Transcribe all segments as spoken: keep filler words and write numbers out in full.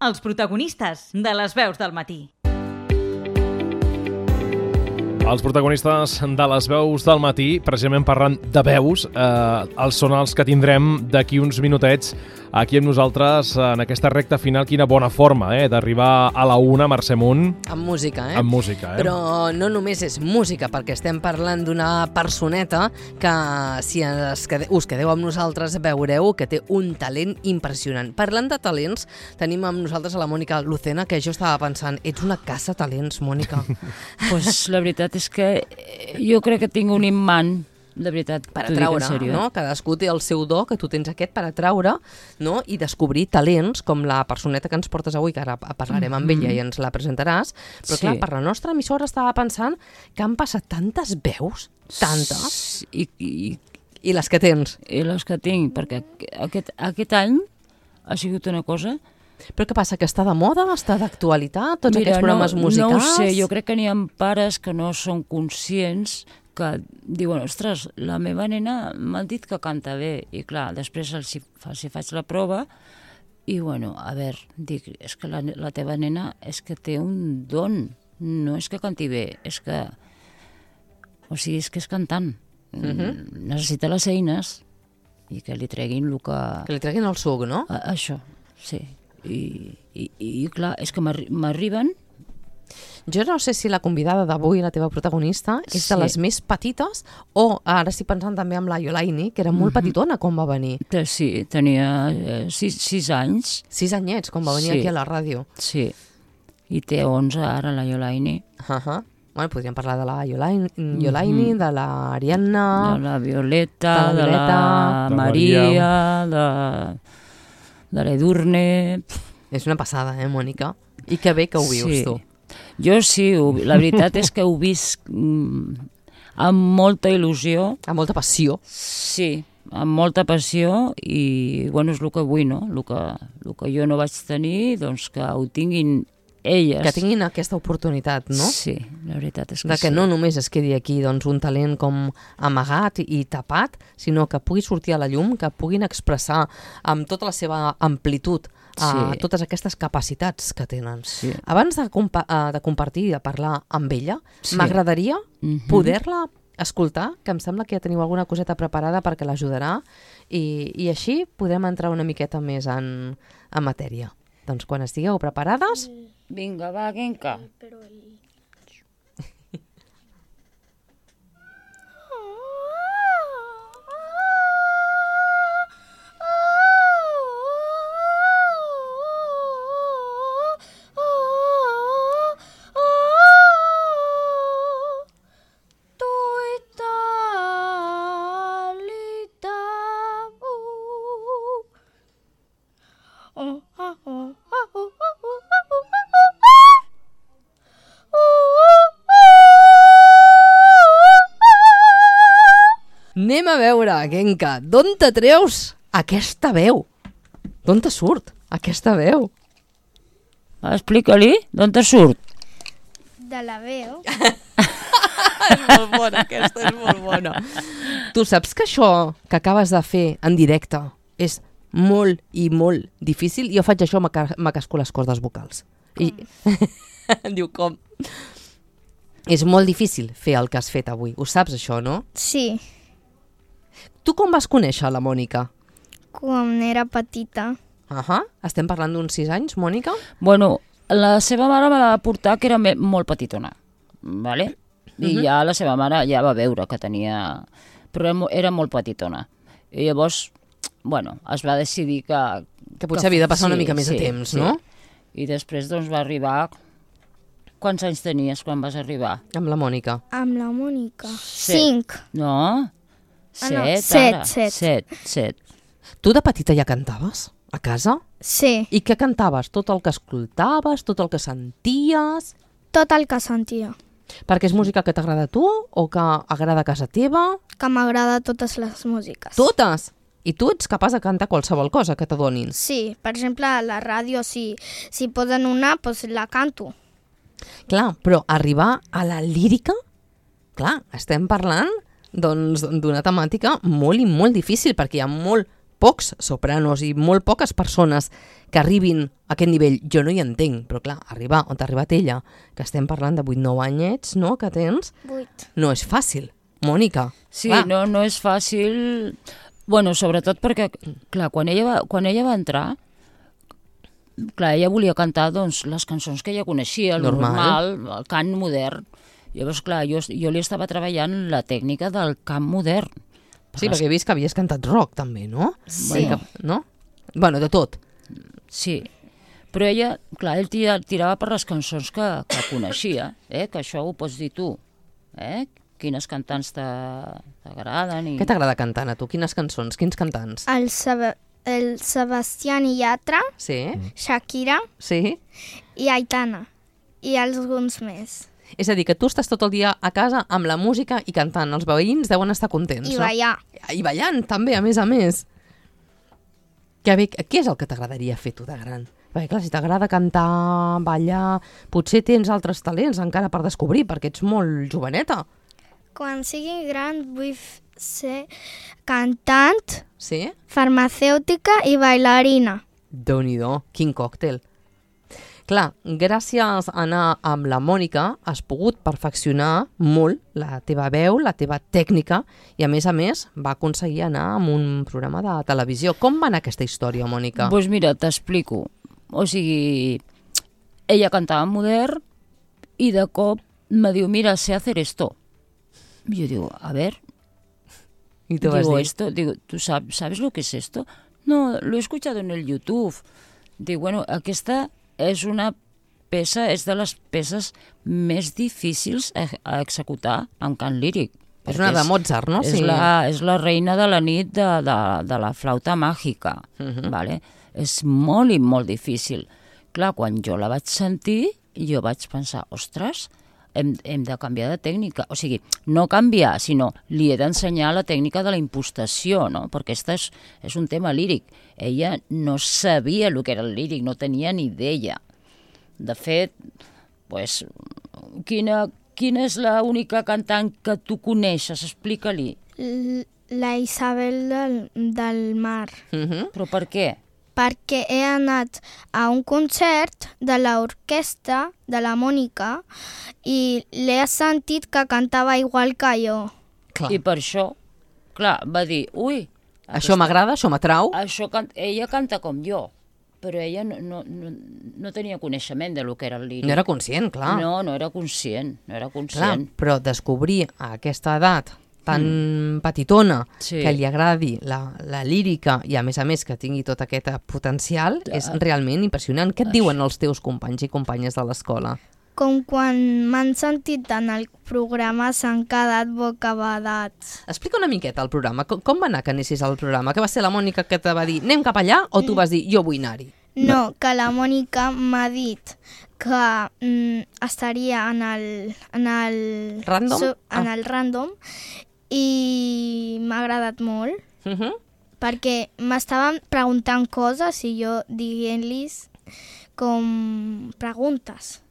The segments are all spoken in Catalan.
els protagonistes de les veus del matí. Els protagonistes de les veus del matí, precisament parlant de veus, eh, els són els que tindrem d'aquí uns minutets aquí amb nosaltres en aquesta recta final. Quina bona forma eh, d'arribar a la una, Mercè Munt. Amb música, eh? Amb música, eh? Però no només és música, perquè estem parlant d'una personeta que, si us quedeu, us quedeu amb nosaltres, veureu que té un talent impressionant. Parlant de talents, tenim amb nosaltres a la Mònica Lucena, que jo estava pensant, ets una casa talents, Mònica. Pues la veritat és que jo crec que tinc un imant, de veritat. Per atraure, no? Cadascú té el seu do, que tu tens aquest per atraure, no? I descobrir talents, com la personeta que ens portes avui, que ara parlarem amb ella i ens la presentaràs. Però clar, per la nostra emissora estava pensant que han passat tantes veus, tantes, I, i, i les que tens. I les que tinc, perquè aquest, aquest any ha sigut una cosa... Però què passa, que està de moda, està d'actualitat, tots Mira, aquests programes no, musicals? No ho sé, jo crec que n'hi ha pares que no són conscients, que diuen, ostres, la meva nena m'ha dit que canta bé, i clar, després els hi, els hi faig la prova, i bueno, a veure, dic, és que la, la teva nena és que té un don, no és que canti bé, és que, o sigui, és que és cantant, uh-huh. Necessita les eines, i que li treguin el que... Que li treguin el suc, no? A, això, sí. I, i, i clar, és que m'arriben... Jo no sé si la convidada d'avui, la teva protagonista, és Sí. de les més petites, o ara estic pensant també amb la Iolaini, que era molt Mhm. petitona quan va venir. Sí, tenia eh, sis, sis anys. Sis anyets, quan va venir Sí. aquí a la ràdio. Sí, i té onze ara la Iolaini. Uh -huh. Bueno, podríem parlar de la Iolaini, Iolaini, de la Ariadna... De la Violeta, de la de la Violeta, de Maria, de, de l'Edurne... És una passada, eh, Mònica? I que bé que ho vius, Sí. tu. Jo sí, ho, la veritat és que ho visc mm, amb molta il·lusió. Amb molta passió. Sí, amb molta passió i, bueno, és el que vull, no? El que, el que jo no vaig tenir, doncs que ho tinguin elles. Que tinguin aquesta oportunitat, no? Sí, la veritat és que De que sí. no només es quedi aquí doncs, un talent com amagat i tapat, sinó que pugui sortir a la llum, que puguin expressar amb tota la seva amplitud a Sí. totes aquestes capacitats que tenen. Sí. Abans de, compa eh, de compartir i de parlar amb ella, Sí. m'agradaria Mhm. poder-la escoltar, que em sembla que ja teniu alguna coseta preparada perquè l'ajudarà, i, i així podrem entrar una miqueta més en, en matèria. Doncs quan estigueu preparades... Vinga, va, Genka. Anem a veure, Genka, d'on te treus aquesta veu? D'on te surt aquesta veu? Explica-li, d'on te surt? De la veu. És molt bona, aquesta és molt bona. Tu saps que això que acabes de fer en directe és molt i molt difícil? Jo faig això, m'acasco les cordes vocals. I diu com? És molt difícil fer el que has fet avui. Ho saps, això, no? Sí, Tu com vas conèixer la Mònica? quan era petita. Ahà. Estem parlant d'uns sis anys, Mònica? Bueno, la seva mare me la va portar que era me- molt petitona, vale? I Mhm. ja la seva mare ja va veure que tenia... Però era, mo- era molt petitona. I llavors, bueno, es va decidir que... Que potser havia de passar una sí, mica més de sí, temps, sí. no? I després doncs va arribar... Quants anys tenies quan vas arribar? Amb la Mònica. Amb la Mònica. Set. Cinc. No? Ah, no, Set, set, ara. set. Set, set. Tu de petita ja cantaves? A casa? Sí, I què cantaves? Tot el que escoltaves? Tot el que senties? tot el que sentia. Perquè és música que t'agrada a tu o que agrada a casa teva? Que m'agrada totes les músiques. Totes! I tu ets capaç de cantar qualsevol cosa que t'adonin. Sí, per exemple, a la ràdio, si, si posen una, doncs la canto. Clar, però arribar a la lírica, clar, estem parlant doncs d'una temàtica molt i molt difícil, perquè hi ha molt pocs sopranos i molt poques persones que arribin a aquest nivell. Jo no hi entenc, però clar, arribar on ha arribat ella, que estem parlant de vuit nou anyets, no?, que tens, Vuit. no és fàcil. Mònica. Sí, clar. no, no és fàcil. Bueno, sobretot perquè, clar, quan ella va, quan ella va entrar, clar, ella volia cantar doncs, les cançons que ella coneixia, el Normal. normal, el cant modern. Llavors, clar, jo, jo li estava treballant la tècnica del cant modern. Sí, perquè he vist que havies cantat rock també, no? Sí. Que, no? Bueno, de tot. Sí, però ella, clar, ell tira, tirava per les cançons que, que coneixia, eh? Que això ho pots dir tu, eh? Quines cantants t'ha- t'agraden i... Què t'agrada cantant a tu? Quines cançons? Quins cantants? El, Seb el Sebastián Yatra, Sí? Shakira Sí? i Aitana. I alguns més. És a dir, que tu estàs tot el dia a casa amb la música i cantant. Els veïns deuen estar contents, I no? ballar. I ballant, també, a més a més. Que bé, què és el que t'agradaria fer tu de gran? Perquè clar, si t'agrada cantar, ballar, potser tens altres talents encara per descobrir, perquè ets molt joveneta. Quan sigui gran vull f- ser cantant, Sí? farmacèutica i bailarina. Déu-n'hi-do, quin còctel. Clar, gràcies a anar amb la Mònica has pogut perfeccionar molt la teva veu, la teva tècnica i a més a més va aconseguir anar amb un programa de televisió. Com va anar aquesta història, Mònica? Doncs pues mira, t'explico. O sigui, ella cantava en modern i de cop me diu, mira, sé hacer esto. Y yo digo, a ver, I tu vas digo, dir, esto, digo, ¿tú sab- sabes lo que es esto? No, lo he escuchado en el YouTube. Digo, bueno, aquesta és una peça, és de les peces més difícils a, a executar en cant líric. és perquè una de Mozart, no? És, la, és la reina de la nit de, de, de la flauta màgica, Mhm. vale? És molt i molt difícil. Clar, quan jo la vaig sentir, jo vaig pensar, ostres, hem, hem de canviar de tècnica. O sigui, no canviar, sinó li he d'ensenyar la tècnica de la impostació, no? Perquè aquesta és, és un tema líric. Ella no sabia el que era el líric, no tenia ni idea. De fet, pues, quina, quina és l'única cantant que tu coneixes? Explica-li. L la Isabel del, del Mar. Mhm. Però per què? Perquè he anat a un concert de l'orquestra de la Mònica i l'he sentit que cantava igual que jo. Clar. I per això, clar, va dir, ui, Això m'agrada, això m'atrau. això can ella canta com jo, però ella no, no, no, no tenia coneixement de lo que era el líric. No era conscient, clar. No, no era conscient, no era Clar, conscient. però descobrir a aquesta edat tan petitona Sí. que li agradi la, la lírica i a més a més que tingui tot aquest potencial és realment impressionant. Què et diuen els teus companys i companyes de l'escola? Com quan m'han sentit en el programa s'han quedat bocabadats. Explica una miqueta el programa. Com, com va anar que anessis al programa? Que va ser la Mònica que te va dir anem cap allà o tu vas dir jo vull anar-hi? No, que la Mònica m'ha dit que mm, estaria en el... En el Random? so- en Ah. el random i m'ha agradat molt Uh -huh. perquè m'estaven preguntant coses i jo dient-los com preguntes.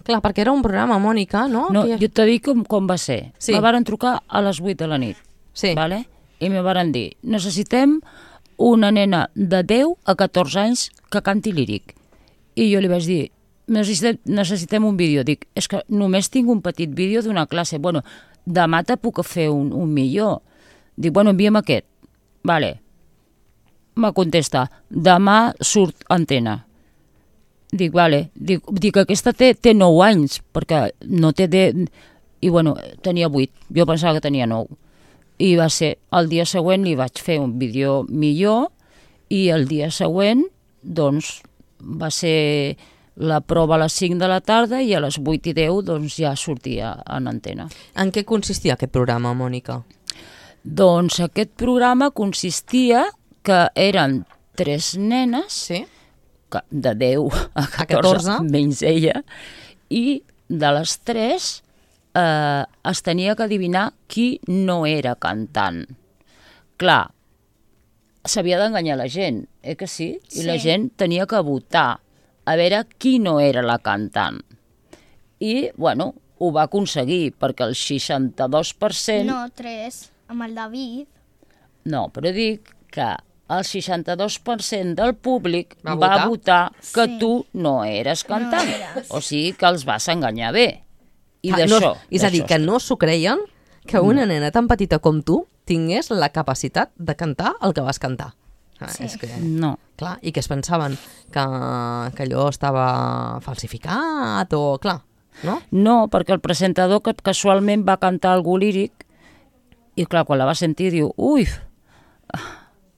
Clar, perquè era un programa, Mònica, no? No, Que- jo t'he dit com, com va ser. Sí. Me varen trucar a les vuit de la nit, Sí. vale? I me varen dir, necessitem una nena de deu a catorze anys que canti líric. I jo li vaig dir, necessitem, necessitem un vídeo. Dic, és que només tinc un petit vídeo d'una classe. Bueno, demà te puc fer un, un millor. Dic, bueno, envia'm aquest. Vale. Me contesta, demà surt antena. Dic, vale. Dic, dic aquesta té, té nou anys, perquè no té... De... I, bueno, tenia vuit. Jo pensava que tenia nou. I va ser, el dia següent li vaig fer un vídeo millor i el dia següent, doncs, va ser la prova a les cinc de la tarda i a les vuit i deu doncs, ja sortia en antena. En què consistia aquest programa, Mònica? Doncs aquest programa consistia que eren tres nenes, Sí. que de deu a catorze, catorze. menys ella, i de les tres eh, es tenia que adivinar qui no era cantant. Clar, s'havia d'enganyar la gent, eh que sí? I Sí. la gent tenia que votar a veure qui no era la cantant. I, bueno, ho va aconseguir, perquè el seixanta-dos per cent... No, tres, amb el David. No, però dic que el seixanta-dos per cent del públic Va va votar? votar que Sí. tu no eres cantant. No eres. O sigui que els vas enganyar bé. I Ah, d'això... no, és a dir, d'això que es no s'ho creien que una nena tan petita com tu tingués la capacitat de cantar el que vas cantar. Ah, Sí. És que, No. clar, i que es pensaven que, que allò estava falsificat o... Clar, no? No, perquè el presentador que casualment va cantar algú líric i clar, quan la va sentir diu ui,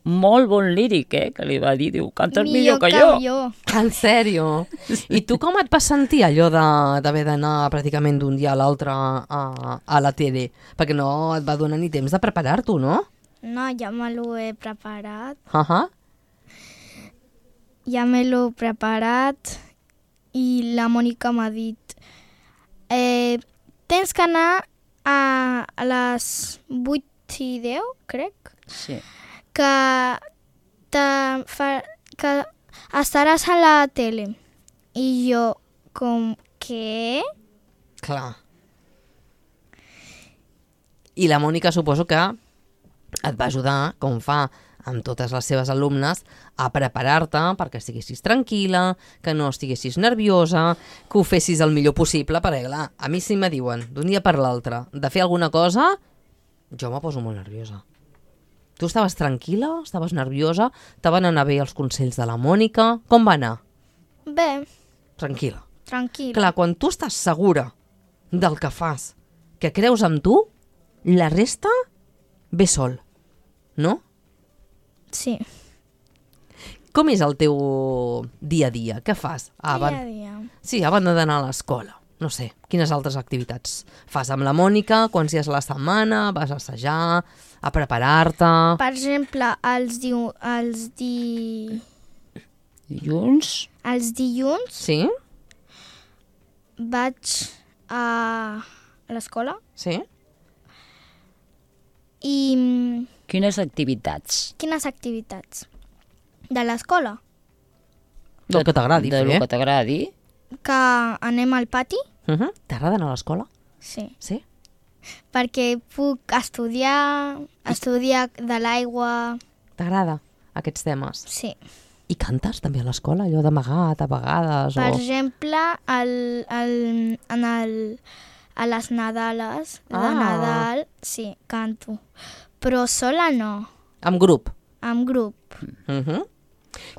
molt bon líric, eh? Que li va dir, diu, cantes millor, que, jo. jo. En sèrio? I tu com et vas sentir allò de- d'haver d'anar pràcticament d'un dia a l'altre a, a la tele? Perquè no et va donar ni temps de preparar-t'ho, no? No, ja me l'ho he preparat. Uh -huh. Ja me l'he preparat i la Mònica m'ha dit eh, tens que anar a, a les vuit i deu, crec, Sí. que, te fa, que estaràs a la tele. I jo, com, què? Clar. I la Mònica suposo que et va ajudar, com fa amb totes les seves alumnes, a preparar-te perquè estiguessis tranquil·la, que no estiguessis nerviosa, que ho fessis el millor possible, perquè clar, a mi si me diuen d'un dia per l'altre de fer alguna cosa, jo me poso molt nerviosa. Tu estaves tranquil·la? Estaves nerviosa? Te van anar bé els consells de la Mònica? Com va anar? Bé, Tranquil·la. tranquil. Clar, quan tu estàs segura del que fas, que creus en tu, la resta ve sol, no? Sí, Com és el teu dia a dia? Què fas? A dia a ban- dia. Sí, a banda d'anar a l'escola. No sé, quines altres activitats fas amb la Mònica? Quants dies a la setmana? Vas a assajar? A preparar-te? Per exemple, els, diu, els, di, Dilluns? els dilluns Sí? vaig a l'escola Sí? i mm, Quines activitats? quines activitats? De l'escola? Del que t'agradi De fer. lo que t'agradi? Que anem al pati? Uh -huh. T'agrada anar a l'escola? Sí. Sí? Perquè puc estudiar, estudiar de l'aigua... T'agrada aquests temes? Sí. I cantes també a l'escola? Allò d'amagat a vegades? Per o... exemple, el, el, en el, a les Nadales de Ah. Nadal, sí, canto. Però sola no, Amb grup? amb grup. Uh -huh.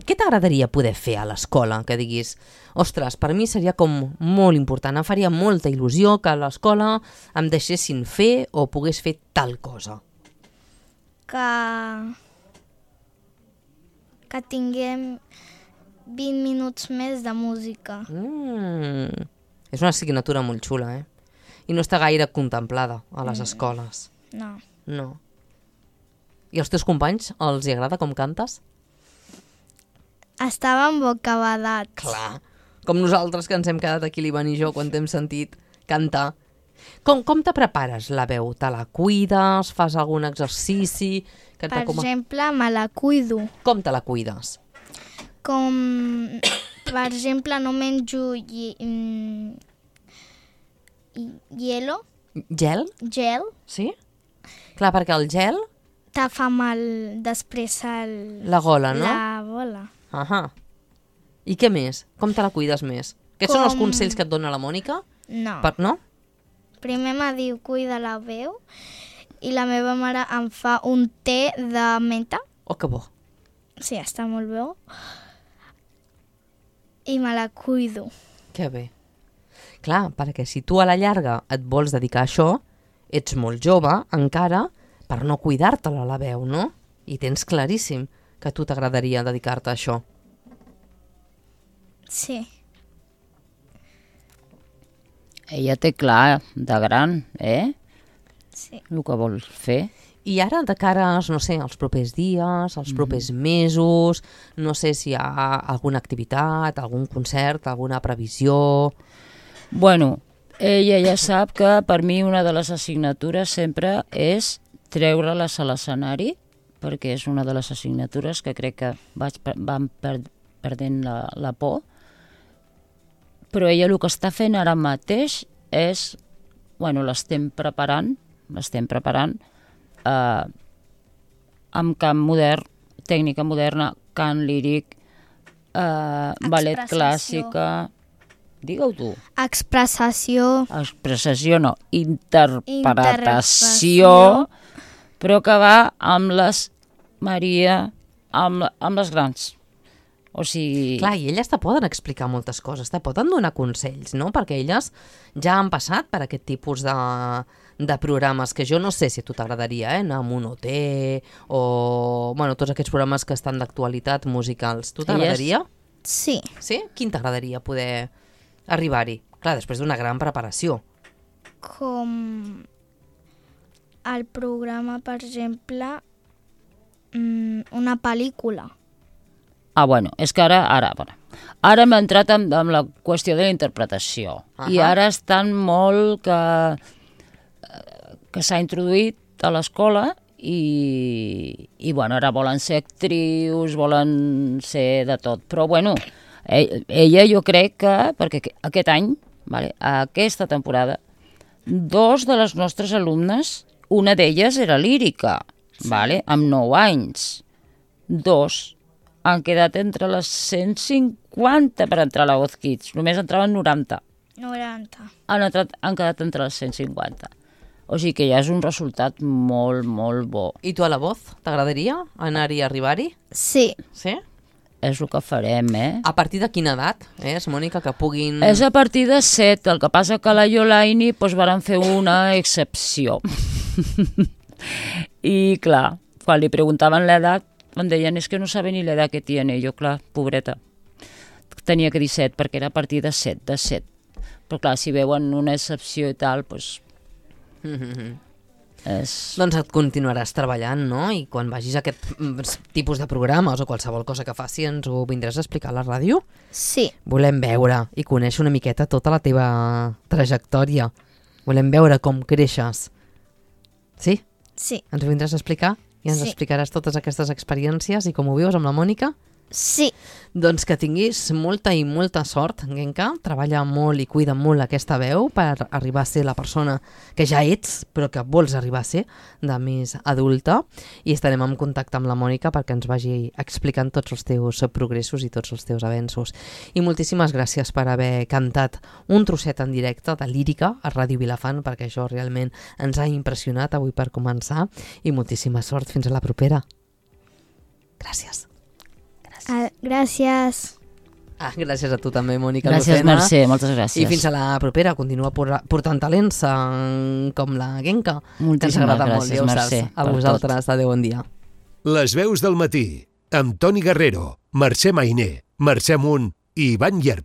Què t'agradaria poder fer a l'escola? Que diguis, ostres, per mi seria com molt important, em faria molta il·lusió que a l'escola em deixessin fer o pogués fer tal cosa. Que, que tinguem vint minuts més de música. Mm. És una assignatura molt xula, eh? I no està gaire contemplada a les escoles. No. No. I als teus companys els hi agrada com cantes? Estàvem bocabadats. Clar. Com nosaltres que ens hem quedat aquí, l'Ivan i jo, quan t'hem sentit cantar. Com, com te prepares la veu? Te la cuides? Fas algun exercici? Que Per t'acoma- exemple, me la cuido. Com te la cuides? Com, per exemple, no menjo hi, mm, hi- hielo, Gel? gel, Sí? Clar, perquè el gel, te fa mal després el, la gola, no? la bola. Ahà. I què més? Com te la cuides més? Aquests són els Com- consells que et dona la Mònica? No. Per, no? Primer me diu cuida la veu i la meva mare em fa un té de menta. Oh, que bo. Sí, està molt bé. I me la cuido. Que bé. Clar, perquè si tu a la llarga et vols dedicar a això, ets molt jove encara per no cuidar-te-la la veu, no? I tens claríssim que a tu t'agradaria dedicar-te a això. Sí. Ella té clar, de gran, eh? Sí. El que vol fer. I ara, de cara, no sé, als propers dies, als propers mesos, no sé si hi ha alguna activitat, algun concert, alguna previsió... Bueno, ella ja sap que per mi una de les assignatures sempre és treure-les a l'escenari, perquè és una de les assignatures que crec que vaig, per- van per, perdent la, la por. Però ella el que està fent ara mateix és, bueno, l'estem preparant, l'estem preparant eh, amb camp modern tècnica moderna, cant líric, eh, ballet Expressació. clàssica... Digue-ho tu. Expressació. Expressació no, interpretació, Interpretació. però que va amb les Maria, amb, amb les grans. O sigui... Clar, i elles te poden explicar moltes coses, te poden donar consells, no? Perquè elles ja han passat per aquest tipus de, de programes que jo no sé si a tu t'agradaria, eh? Anar amb un O T o... Bueno, tots aquests programes que estan d'actualitat musicals. Tu t'agradaria? Sí. Sí? Quin t'agradaria poder arribar-hi? Clar, després d'una gran preparació. Com el programa, per exemple, mm, una pel·lícula. Ah, bueno, és que ara, ara, ara, ara hem entrat amb, amb la qüestió de la interpretació. Ahà. I ara estan molt que, que s'ha introduït a l'escola i, i, bueno, ara volen ser actrius, volen ser de tot. Però, bueno, ella jo crec que, perquè aquest any, vale, aquesta temporada, dos de les nostres alumnes, una d'elles era lírica, vale, amb nou anys. Dos han quedat entre les cent cinquanta per entrar a la Voz Kids. Només entraven noranta. noranta. Han, entrat, han quedat entre les cent cinquanta. O sigui que ja és un resultat molt, molt bo. I tu a la Voz, t'agradaria anar-hi i arribar-hi? Sí. Sí? És el que farem, eh? A partir de quina edat, eh, Mònica, que puguin... És a partir de set, el que passa que a la Iolaini doncs, van fer una excepció. I clar, quan li preguntaven l'edat, em deien, és que no saben ni l'edat que tiene. Jo, clar, pobreta, tenia que dir set, perquè era a partir de set, de set. Però clar, si veuen una excepció i tal, doncs... Mm-hmm. És... Doncs et continuaràs treballant, no? I quan vagis a aquest mm, tipus de programes o qualsevol cosa que faci, ens ho vindràs a explicar a la ràdio? Sí. Volem veure i conèixer una miqueta tota la teva trajectòria. Volem veure com creixes. Sí? Sí. Ens ho vindràs a explicar? I ens Sí. explicaràs totes aquestes experiències i com ho vius amb la Mònica? Sí. Doncs que tinguis molta i molta sort, Genka. Treballa molt i cuida molt aquesta veu per arribar a ser la persona que ja ets, però que vols arribar a ser de més adulta. I estarem en contacte amb la Mònica perquè ens vagi explicant tots els teus progressos i tots els teus avenços. I moltíssimes gràcies per haver cantat un trosset en directe de lírica a Ràdio Vilafant, perquè això realment ens ha impressionat avui per començar. I moltíssima sort. Fins a la propera. Gràcies. Ah, gràcies. Ah, gràcies a tu també, Mònica Gràcies, Lucena. Mercè, moltes gràcies. I fins a la propera. Continua por- portant talents eh, com la Genka, que ens Moltíssimes agrada molt, gràcies, ja ho saps. Mercè, A per vosaltres, adéu, bon dia. Les veus del matí, amb Toni Guerrero, Mercè Mainer, Mercè Munt i Ivan Llerp.